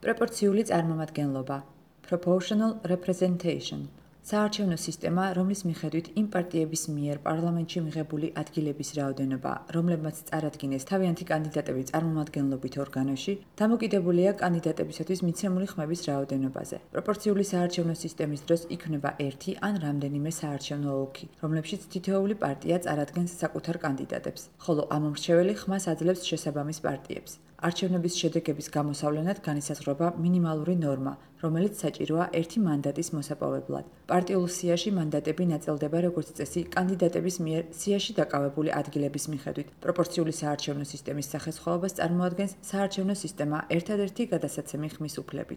პროპორციული წარმომადგენლობა proportional representation საარჩევნო სისტემა, რომლის მიხედვით იმ პარტიების მიერ პარლამენტში მიღებული ადგილების რაოდენობა, რომლებმაც წარადგინეს თავიანთი კანდიდატები წარმომადგენლობით ორგანოში, დამოკიდებულია კანდიდატებისათვის მიცემული ხმების რაოდენობაზე. პროპორციული საარჩევნო სისტემის დროს იქმნება ერთი ან რამდენიმე საარჩევნო ოლქი, რომლებშიც თითოეული პარტია წარადგენს საკუთარ კანდიდატებს, ხოლო ამომრჩეველი ხმას აძლევს შესაბამის პარტიებს. არჩევნების შედეგების გამოსავლენად განისაზღვრება მინიმალური ნორმა, რომელიც საჭიროა ერთი მანდატის მოსაპოვებლად. პარტიულ სიაში მანდატები ნაწილდება როგორც წესი კანდიდატების მიერ სიაში დაკავებული ადგილების მიხედვით. პროპორციული საარჩევნო სისტემის სახესხვაობას წარმოადგენს საარჩევნო სისტემა ერთადერთი გადასაცემი ხმის უფლებით.